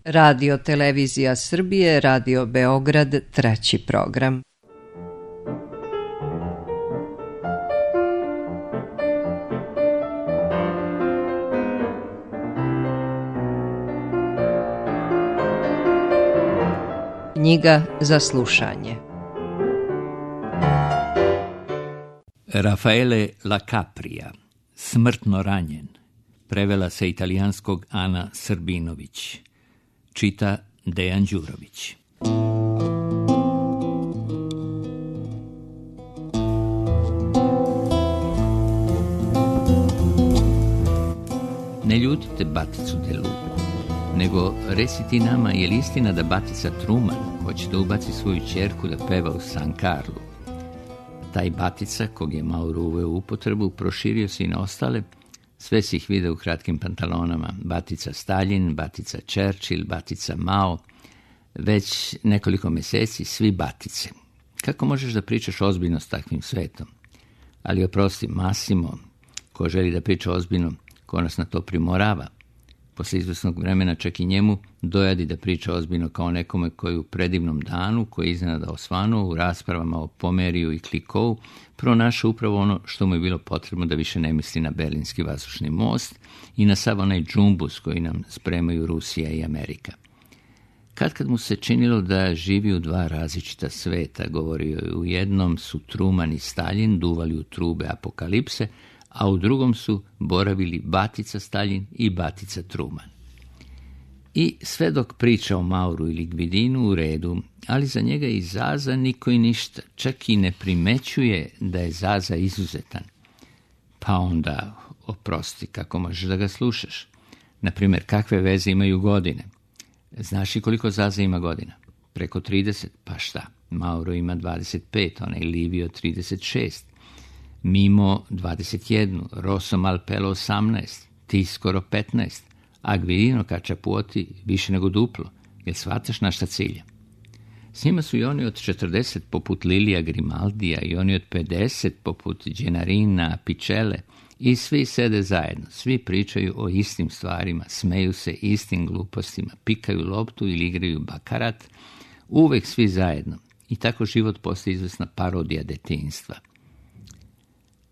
Radio Televizija Srbije, Radio Beograd, 3. program. Knjiga za slušanje. Raffaele La Capria, Smrtno ranjen. Prevela sa italijanskog Ana Srbinović. Čita Dejan Đurović. Ne ljutite Baticu de Luku, nego reci ti nama, je li istina da Batica Truman hoće da ubaci svoju ćerku da peva u San Carlu? Taj Batica, kog je Mauro uveo u upotrebu, proširio se i na ostale. Sve si ih video u kratkim pantalonama. Batica Stalin, Batica Churchill, Batica Mao. Već nekoliko mjeseci svi Batice. Kako možeš da pričaš ozbiljno s takvim svetom? Ali oprosti, Massimo, ko želi da priča ozbiljno, ko nas na to primorava. Posle izvesnog vremena čak i njemu dojadi da priča ozbiljno kao nekome koji u predivnom danu, koji je iznenada osvanuo u raspravama o Pomeriju i Klikovu, pronašao upravo ono što mu je bilo potrebno da više ne misli na Berlinski vazdušni most i na sav onaj džumbus koji nam spremaju Rusija i Amerika. Kad mu se činilo da živi u dva različita sveta, govorio je, u jednom su Truman i Stalin duvali u trube apokalipse, a u drugom su boravili Batica Stalin i Batica Truman. I sve dok priča o Mauru ili Gvidinu u redu, ali za njega i Zaza niko i ništa, čak i ne primećuje da je Zaza izuzetan. Pa onda, oprosti, kako možeš da ga slušaš? Naprimjer, kakve veze imaju godine? Znaš li koliko Zaza ima godina? Preko 30, pa šta? Mauro ima 25, onaj Livio 36. Mimo 21, Rosso Malpelo 18, ti skoro 15, a Gvidino Kačapuoti više nego duplo, jer shvataš na šta cilja. S njima su i oni od 40 poput Lilija Grimaldija i oni od 50 poput Gennarina, Picele i svi sede zajedno, svi pričaju o istim stvarima, smeju se istim glupostima, pikaju loptu ili igraju bakarat, uvek svi zajedno i tako život postaje izvesna parodija detinjstva.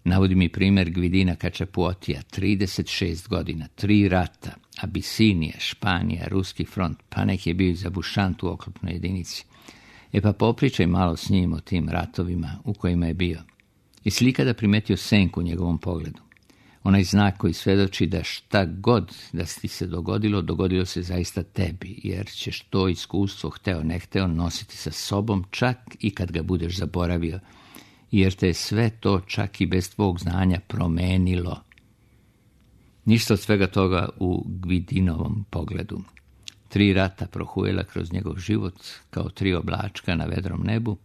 Navodi mi primjer Gvidina Kačapuotija, 36 godina, 3 rata, Abisinija, Španija, Ruski front, pa nek je bio i zabušant u oklopnoj jedinici. Pa popričaj malo s njim o tim ratovima u kojima je bio. Jesi li ikada primetio senku u njegovom pogledu? Onaj znak koji svedoči da šta god da ti se dogodilo, dogodilo se zaista tebi, jer ćeš to iskustvo, hteo ne hteo, nositi sa sobom čak i kad ga budeš zaboravio, jer te je sve to čak i bez tvog znanja promenilo. Ništa od svega toga u Gvidinovom pogledu. 3 rata prohujela kroz njegov život kao 3 oblačka na vedrom nebu,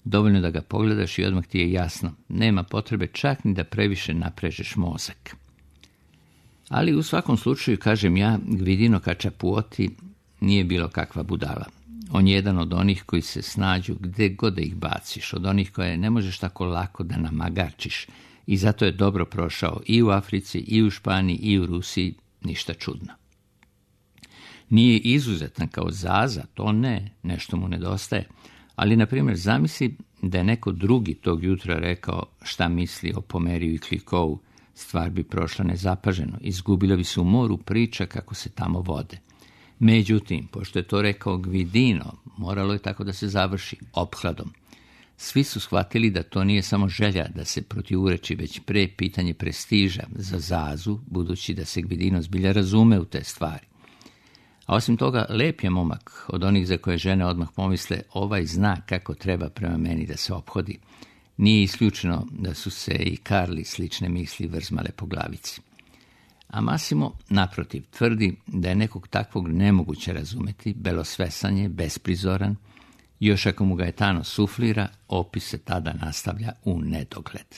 dovoljno da ga pogledaš i odmah ti je jasno, nema potrebe čak ni da previše naprežeš mozak. Ali u svakom slučaju, kažem ja, Gvidino Kačapuoti nije bilo kakva budala. On je jedan od onih koji se snađu gde god da ih baciš, od onih koje ne možeš tako lako da namagarčiš i zato je dobro prošao i u Africi, i u Španiji, i u Rusiji, ništa čudno. Nije izuzetan kao Zaza, to ne, nešto mu nedostaje, ali, na primjer, zamisli da je neko drugi tog jutra rekao šta misli o Pomeriju i Klikovu, stvar bi prošla nezapaženo, izgubila bi se u moru priča kako se tamo vode. Međutim, pošto je to rekao Gvidino, moralo je tako da se završi ophladom. Svi su shvatili da to nije samo želja da se protivureči, već pre pitanje prestiža za Zazu, budući da se Gvidino zbilja razume u te stvari. A osim toga, lep je momak od onih za koje žene odmah pomisle, ovaj zna kako treba prema meni da se ophodi. Nije isključeno da su se i Karli slične misli vrzmale po glavici. A Massimo, naprotiv, tvrdi da je nekog takvog nemoguće razumeti, belosvesan je, besprizoran, još ako mu Gaetano suflira, opis se tada nastavlja u nedogled.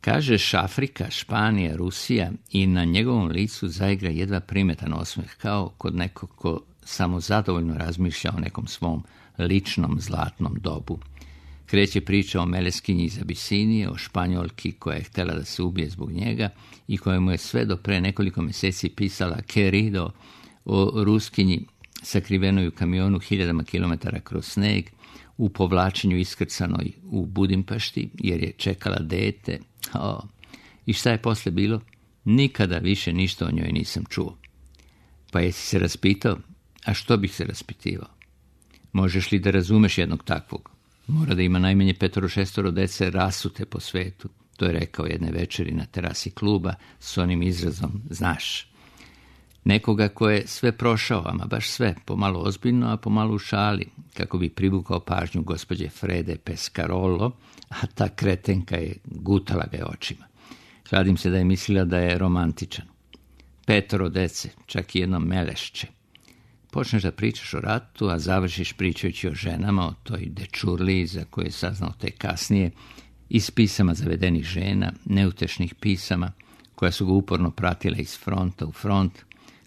Kažeš Afrika, Španija, Rusija i na njegovom licu zaigra jedva primetan osmeh, kao kod nekog ko samo zadovoljno razmišlja o nekom svom ličnom zlatnom dobu. Kreće priča o Meleskinji iz Abisinije, o Španjolki koja je htjela da se ubije zbog njega i koja mu je sve do pre nekoliko mjeseci pisala Querido, o Ruskinji sakrivenoj u kamionu 1000 kilometara kroz sneg, u povlačenju iskrcanoj u Budimpešti, jer je čekala dete. I šta je posle bilo? Nikada više ništa o njoj nisam čuo. Pa jesi se raspitao? A što bih se raspitivao? Možeš li da razumeš jednog takvog? Mora da ima najmanje 5-6 dece rasute po svetu. To je rekao jedne večeri na terasi kluba s onim izrazom, znaš. Nekoga ko je sve prošao, ama baš sve, pomalo ozbiljno, a pomalo u šali, kako bi privukao pažnju gospođe Frede Pescarolo, a ta kretenka je gutala ga je očima. Kladim se da je mislila da je romantičan. 5 dece, čak i jedno melešće. Počneš da pričaš o ratu, a završiš pričajući o ženama, o toj dečurliji za koje je saznao tek kasnije, iz pisama zavedenih žena, neutešnih pisama, koja su ga uporno pratila iz fronta u front,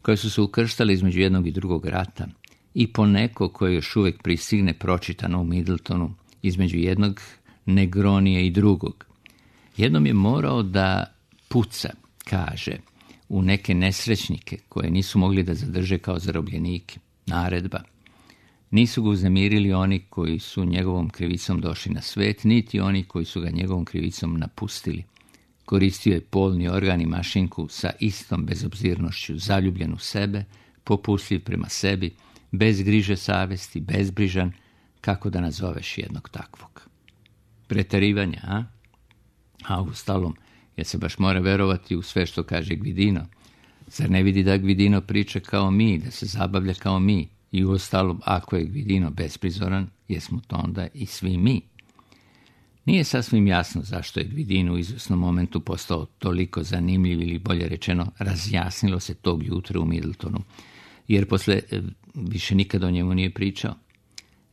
koje su se ukrštale između jednog i drugog rata, i poneko koje još uvijek pristigne pročitano u Middletonu, između jednog Negronija i drugog. Jednom je morao da puca, kaže, u neke nesrećnike koje nisu mogli da zadrže kao zarobljenike. Naredba. Nisu ga uznemirili oni koji su njegovom krivicom došli na svet, niti oni koji su ga njegovom krivicom napustili. Koristio je polni organ i mašinku sa istom bezobzirnošću, zaljubljen u sebe, popustljiv prema sebi, bez griže savesti, bezbrižan, kako da nazoveš jednog takvog. Preterivanja, a? A ustalom, jer se baš mora verovati u sve što kaže Gvidino. Zar ne vidi da Gvidino priča kao mi, da se zabavlja kao mi? I uostalom, ako je Gvidino besprizoran, jesmo to onda i svi mi. Nije sasvim jasno zašto je Gvidino u izvesnom momentu postao toliko zanimljiv, ili bolje rečeno, razjasnilo se tog jutra u Middletonu, jer posle više nikad o njemu nije pričao.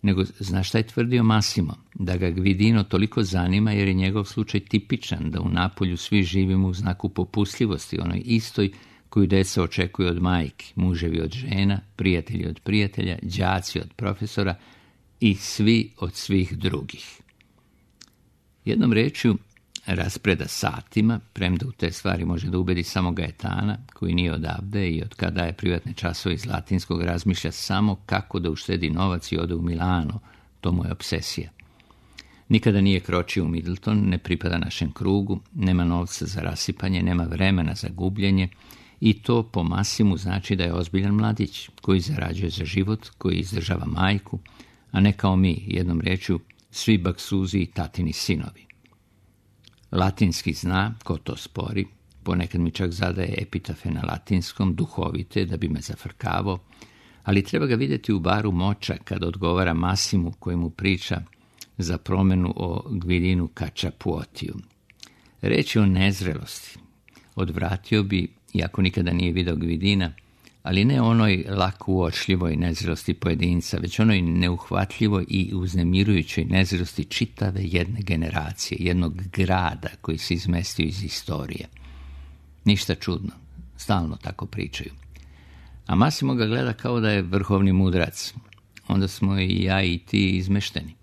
Nego, znaš šta je tvrdio Massimo? Da ga Gvidino toliko zanima jer je njegov slučaj tipičan, da u Napolju svi živimo u znaku popustljivosti, onoj istoj koju deca očekuju od majki, muževi od žena, prijatelji od prijatelja, đaci od profesora i svi od svih drugih. Jednom rečju, raspreda satima, premda u te stvari može da ubedi samo Gaetana, koji nije odavde i od kada je privatne časove iz latinskog razmišlja samo kako da uštedi novac i ode u Milano, to mu je obsesija. Nikada nije kročio u Middleton, ne pripada našem krugu, nema novca za rasipanje, nema vremena za gubljenje, i to po Massimu znači da je ozbiljan mladić, koji zarađuje za život, koji izdržava majku, a ne kao mi, jednom rečju, svi baksuzi i tatini sinovi. Latinski zna, ko to spori, ponekad mi čak zadaje epitafe na latinskom, duhovite, da bi me zafrkavao, ali treba ga vidjeti u baru Moča kad odgovara Massimu koji mu priča za promenu o Gvidinu Cacciapuotiju. Reč je o nezrelosti. Odvratio bi, iako nikada nije video Gvidina, ali ne onoj lako uočljivoj nezrelosti pojedinca, već onoj neuhvatljivoj i uznemirujućoj nezrelosti čitave jedne generacije, jednog grada koji se izmestio iz istorije. Ništa čudno, stalno tako pričaju. A Massimo ga gleda kao da je vrhovni mudrac. Onda smo i ja i ti izmešteni.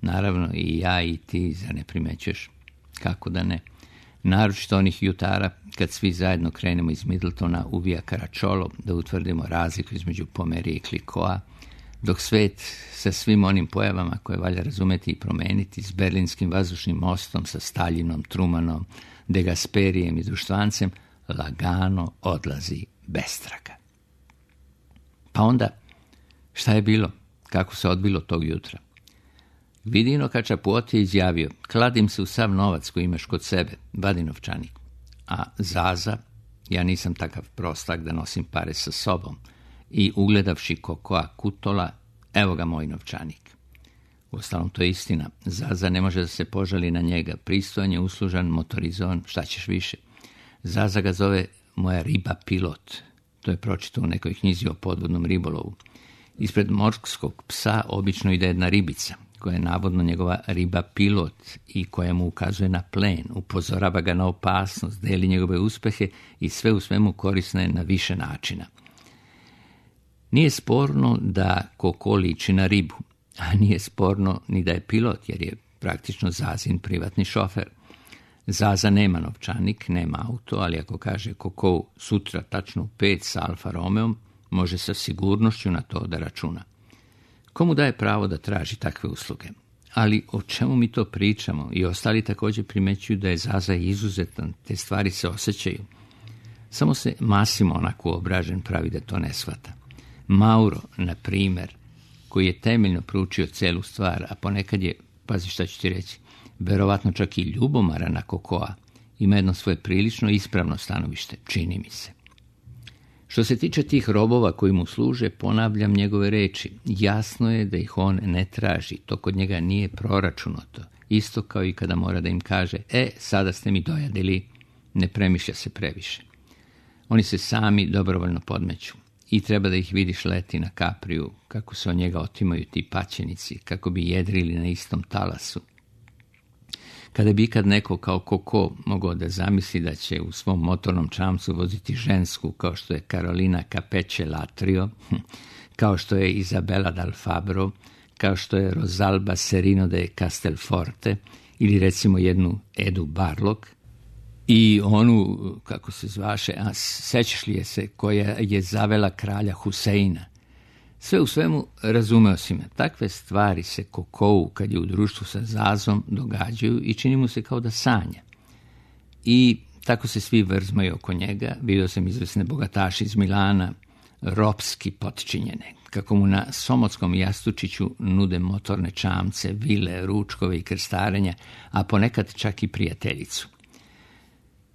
Naravno i ja i ti, zar ne primećuješ? Kako da ne? Naročito onih jutara kad svi zajedno krenemo iz Middletona u Via Caracciolo da utvrdimo razliku između Pomerije i Klikoa, dok svet sa svim onim pojavama koje valja razumeti i promeniti, s Berlinskim vazdušnim mostom, sa Staljinom, Trumanom, De Gasperijem i Društvancem, lagano odlazi bez traga. Pa onda, šta je bilo? Kako se odbilo tog jutra? Gvidino Cacciapuoti je izjavio: kladim se u sav novac koji imaš kod sebe, vadi novčanik. A Zaza, ja nisam takav prostak da nosim pare sa sobom, i ugledavši Kokoa Kutola, evo ga moj novčanik. Uostalom, to je istina. Zaza ne može da se požali na njega. Pristojan je, uslužan, motorizovan, šta ćeš više. Zaza ga zove moja riba pilot. To je pročitao u nekoj knjizi o podvodnom ribolovu. Ispred morskog psa obično ide jedna ribica, koja je navodno njegova riba pilot i koja mu ukazuje na plen, upozorava ga na opasnost, deli njegove uspehe i sve u svemu korisna je na više načina. Nije sporno da Koko liči na ribu, a nije sporno ni da je pilot, jer je praktično Zazin privatni šofer. Zaza nema novčanik, nema auto, ali ako kaže Koko sutra tačno u 5 sa Alfa Romeom, može sa sigurnošću na to da računa. Komu daje pravo da traži takve usluge? Ali o čemu mi to pričamo? I ostali također primećuju da je Zaza izuzetan, te stvari se osjećaju. Samo se Massimo onako obražen pravi da to ne shvata. Mauro, na primjer, koji je temeljno proučio celu stvar, a ponekad je, pazi šta ću ti reći, verovatno čak i ljubomara na Kokoa, ima jedno svoje prilično ispravno stanovište, čini mi se. Što se tiče tih robova koji mu služe, ponavljam njegove reči. Jasno je da ih on ne traži, to kod njega nije proračunato. Isto kao i kada mora da im kaže, sada ste mi dojadili, ne premišlja se previše. Oni se sami dobrovoljno podmeću i treba da ih vidiš leti na Kapriju, kako se od njega otimaju ti paćenici, kako bi jedrili na istom talasu. Kada bi ikad neko kao Koko mogao da zamisli da će u svom motornom čamcu voziti žensku kao što je Carolina Capeche Latrio, kao što je Isabella Dal Fabbro, kao što je Rosalba Serino de Castelforte ili recimo jednu Edu Barlog i onu, kako se zvaše, sećaš li je se, koja je zavela kralja Huseina. Sve u svemu razumeo si me. Takve stvari se Kokou, kad je u društvu sa Zazom, događaju i čini mu se kao da sanja. I tako se svi vrzmaju oko njega. Vidio sam izvesne bogataši iz Milana, ropski potčinjene, kako mu na somotskom jastučiću nude motorne čamce, vile, ručkove i krstarenja, a ponekad čak i prijateljicu.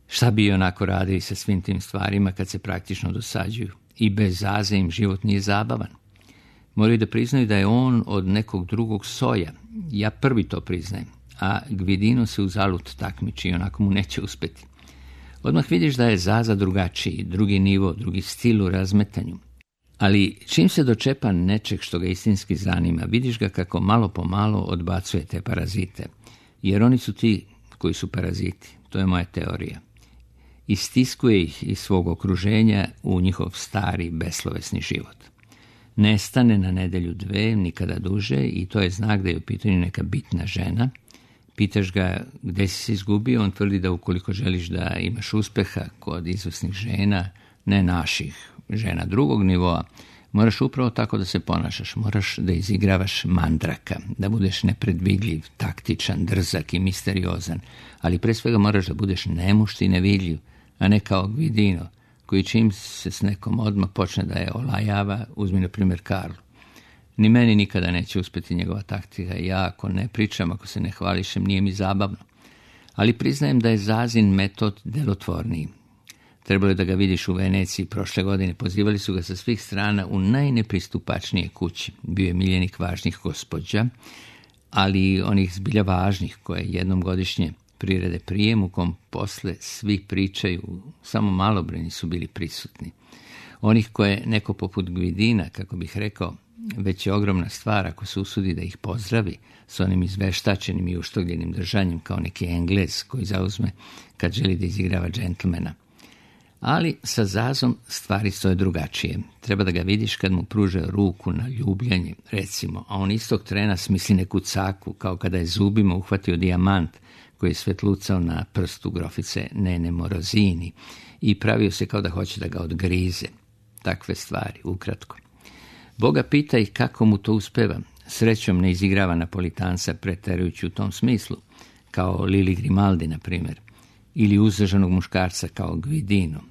Šta bi onako radili sa svim tim stvarima kad se praktično dosađuju? I bez Zaze im život nije zabavan. Moraju da priznaju da je on od nekog drugog soja. Ja prvi to priznajem, a Gvidino se uzalud takmiči i onako mu neće uspeti. Odmah vidiš da je Zaza drugačiji, drugi nivo, drugi stil u razmetanju. Ali čim se dočepa nečeg što ga istinski zanima, vidiš ga kako malo po malo odbacuje te parazite. Jer oni su ti koji su paraziti, to je moja teorija. Istiskuje ih iz svog okruženja u njihov stari, beslovesni život. Nestane na nedelju dve, nikada duže, i to je znak da je u pitanju neka bitna žena. Pitaš ga gde si se izgubio, on tvrdi da ukoliko želiš da imaš uspeha kod izvrsnih žena, ne naših žena drugog nivoa, moraš upravo tako da se ponašaš, moraš da izigravaš mandraka, da budeš nepredvidljiv, taktičan, drzak i misteriozan, ali pre svega moraš da budeš nemušt i nevidljiv, a ne kao Gvidino, koji čim se s nekom odmah počne da je olajava, uzmi na primjer Karlu. Ni meni nikada neće uspjeti njegova taktika, ja ako ne pričam, ako se ne hvališem, nije mi zabavno. Ali priznajem da je Zazin metod delotvorniji. Trebalo je da ga vidiš u Veneciji prošle godine, pozivali su ga sa svih strana u najnepristupačnije kući. Bio je miljenik važnih gospođa, ali onih zbilja važnih koje jednom godišnje prirede prijem u kom posle svi pričaju, samo malobrojni su bili prisutni. Onih koje neko poput Gvidina, kako bih rekao, već je ogromna stvar ako se usudi da ih pozdravi s onim izveštačenim i uštogljenim držanjem kao neki Englez koji zauzme kad želi da izigrava džentlmena. Ali sa Zazom stvari stoje drugačije. Treba da ga vidiš kad mu pruže ruku na ljubljanje, recimo, a on istog trena smisli neku caku, kao kada je zubima uhvatio dijamant koji je svetlucao na prstu grofice Nene Morozini i pravio se kao da hoće da ga odgrize. Takve stvari, ukratko. Boga pita i kako mu to uspeva. Srećom ne izigrava Napolitanca preterujući u tom smislu, kao Lili Grimaldi, na primjer, ili uzdržanog muškarca kao Gvidino.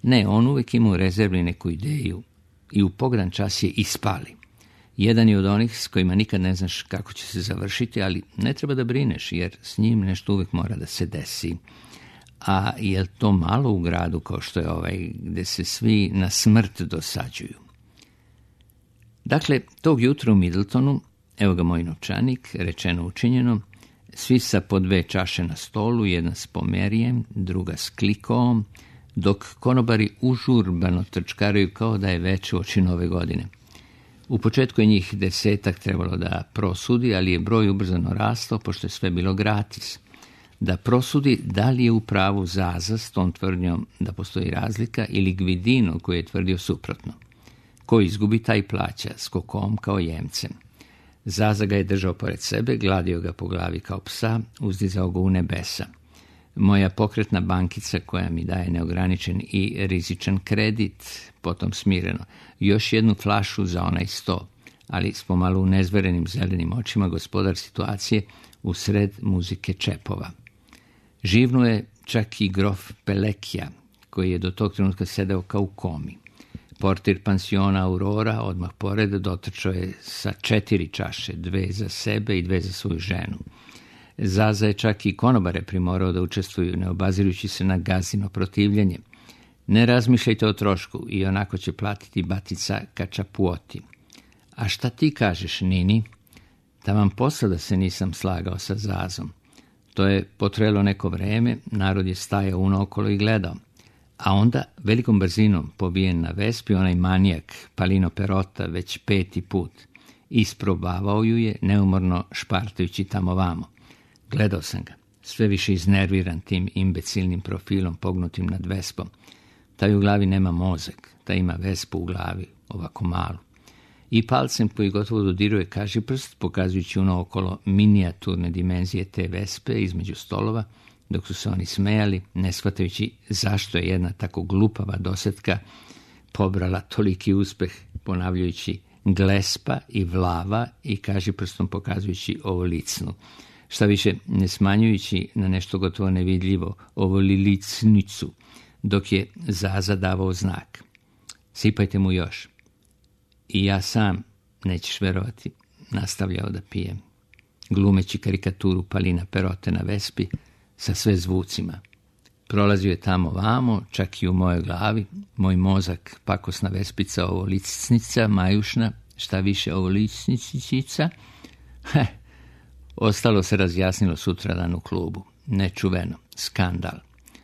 Ne, on uvijek ima u rezervi neku ideju i u pogran čas je ispali. Jedan je od onih s kojima nikad ne znaš kako će se završiti, ali ne treba da brineš, jer s njim nešto uvijek mora da se desi. A je to malo u gradu kao što je ovaj, gde se svi na smrt dosađuju? Dakle, tog jutra u Middletonu, evo ga moj novčanik, rečeno učinjeno, svi sa po 2 čaše na stolu, jedna s pomerijem, druga s klikoom, dok konobari užurbano trčkaraju kao da je već uoči Nove godine. U početku je njih 10 trebalo da prosudi, ali je broj ubrzano rastao, pošto je sve bilo gratis. Da prosudi da li je u pravu Zaza s tom tvrdnjom da postoji razlika ili Gvidino koji je tvrdio suprotno. Ko izgubi, taj plaća, s Kokom kao jemcem. Zaza ga je držao pored sebe, gladio ga po glavi kao psa, uzdizao ga u nebesa. moja pokretna bankica koja mi daje neograničen i rizičan kredit, potom smireno, još jednu flašu za onaj 100, ali s pomalo unezverenim zelenim očima gospodar situacije u sred muzike čepova. Živnuo je čak i grof Pelekija, koji je do tog trenutka sedeo kao u komi. Portir pansiona Aurora odmah pored dotrčao je sa 4 čaše, 2 za sebe i 2 za svoju ženu. Zaza je čak i konobare primorao da učestvuju, ne obazirujući se na gazino protivljenje. Ne razmišljajte o trošku, i onako će platiti batica Kačapuoti. A šta ti kažeš, Nini? Taman posada se nisam slagao sa Zazom. To je potrajalo neko vreme, narod je stajao unaokolo i gledao. A onda, velikom brzinom, pobijen na Vespi, onaj manijak, Palino Perota, već 5. put. Isprobavao ju je, neumorno špartajući tamo vamo. Gledao sam ga, sve više iznerviran tim imbecilnim profilom pognutim nad Vespom. Taj u glavi nema mozak, taj ima Vespu u glavi, ovako malu. I palcem koji gotovo dodiruje kažiprst, pokazujući unaokolo minijaturne dimenzije te Vespe između stolova, dok su se oni smejali, ne shvatajući zašto je jedna tako glupava dosetka pobrala toliki uspeh, ponavljajući glespa i vlava i kažiprstom pokazujući ovo licnu. Šta više, ne smanjujući na nešto gotovo nevidljivo ovo licnicu, dok je Zaza davao znak. Sipajte mu još. I ja sam, nećeš verovati, nastavljao da pijem, glumeći karikaturu Palina Perote na Vespi sa sve zvucima. Prolazio je tamo vamo, čak i u mojoj glavi, moj mozak pakosna Vespica, ovo licnica, majušna, šta više ovo licnicica. Ostalo se razjasnilo sutradan u klubu. Nečuveno, skandal.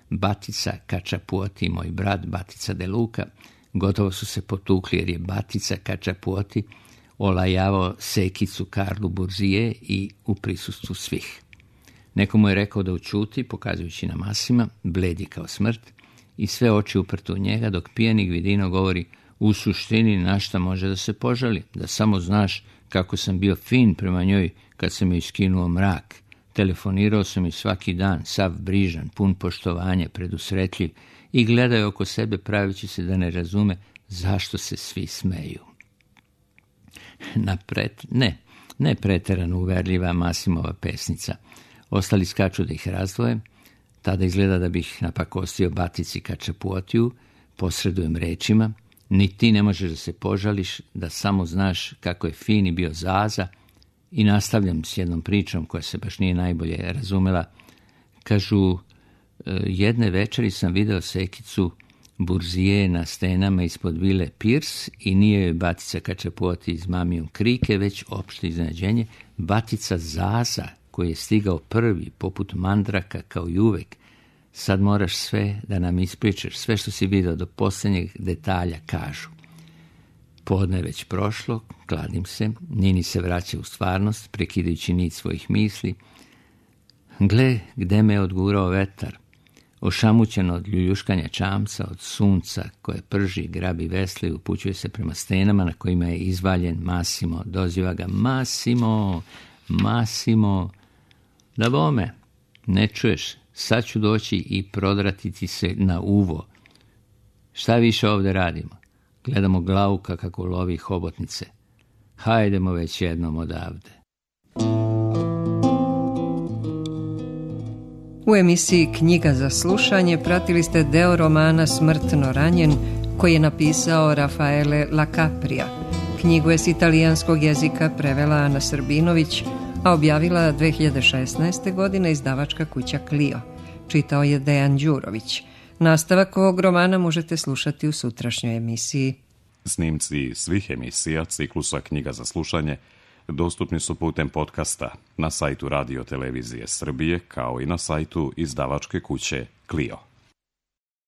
Batica Kačapuoti i moj brat Batica de Luca gotovo su se potukli jer je Batica Kačapuoti olajavao sekicu Karlu Burzije i u prisustvu svih. Neko mu je rekao da učuti, pokazujući na masima, bledi kao smrt, i sve oči uprte u njega, dok pijani Gvidino govori: u suštini na šta može da se požali, da samo znaš kako sam bio fin prema njoj kad sam joj iskinuo mrak. Telefonirao sam joj svaki dan, sav brižan, pun poštovanja, predusretljiv, i gledao oko sebe pravići se da ne razume zašto se svi smeju. Ne preterano uverljiva Masimova pesnica. Ostali skaču da ih razdvoje, tada izgleda da bih napakostio Batici Kačapuotiju, posredujem rečima: ni ti ne možeš da se požališ, da samo znaš kako je fini bio Zaza, i nastavljam s jednom pričom koja se baš nije najbolje razumela. Kažu, jedne večeri sam video sekicu Burzije na stenama ispod vile Pirs i nije joj Batica Kačapuoti iz Mamijom krike, već opšte iznenađenje, Batica Zaza, koji je stigao prvi, poput mandraka, kao i uvek. Sad moraš sve da nam ispričaš, sve što si video do posljednjeg detalja, kažu. Podne je već prošlo, kladim se, Nini se vraća u stvarnost, prekidajući nit svojih misli. Gle, gde me je odgurao vetar. Ošamućen od ljuljuškanja čamca, od sunca koje prži, grabi vesle i upućuje se prema stenama na kojima je izvaljen Masimo. Doziva ga: Masimo, Masimo. Da bome, ne čuješ, sad ću doći i prodrati ti se na uvo. Šta više ovdje radimo? Gledamo Glauka kako lovi hobotnice. Hajdemo već jednom odavde. U emisiji Knjiga za slušanje pratili ste deo romana Smrtno ranjen, koji je napisao Rafaele Lacaprija. Knjigu je s italijanskog jezika prevela Ana Srbinović, a objavila 2016. godine izdavačka kuća Clio. Čitao je Dejan Đurović. Nastavak ovog romana možete slušati u sutrašnjoj emisiji. Snimci svih emisija ciklusa Knjiga za slušanje dostupni su putem podcasta na sajtu Radio Televizije Srbije, kao i na sajtu izdavačke kuće Clio.